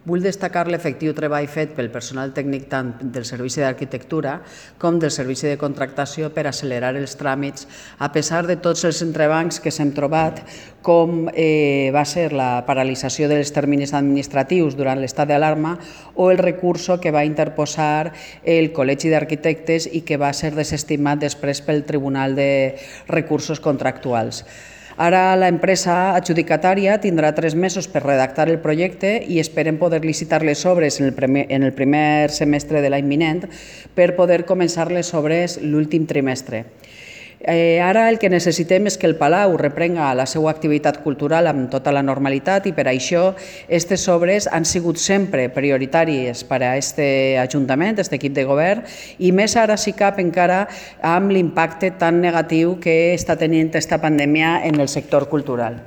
Vull destacar l'efectiu treball fet pel personal tècnic tant del Servici d'Arquitectura com del Servici de Contractació per accelerar els tràmits, a pesar de tots els entrebancs que s'hem trobat, com va ser la paralització dels terminis administratius durant l'estat d'alarma o el recurso que va interposar el Col·legi d'Arquitectes i que va ser desestimat després pel Tribunal de Recursos Contractuals. Ara l'empresa adjudicatària tindrà 3 mesos per redactar el projecte i esperem poder licitar les obres en el primer semestre de l'any vinent per poder començar les obres l'últim trimestre. Ara el que necessitem és que el Palau reprenga la seva activitat cultural amb tota la normalitat i per això aquestes obres han sigut sempre prioritàries per a aquest Ajuntament, aquest equip de govern, i més ara si cap encara amb l'impacte tan negatiu que està tenint aquesta pandèmia en el sector cultural.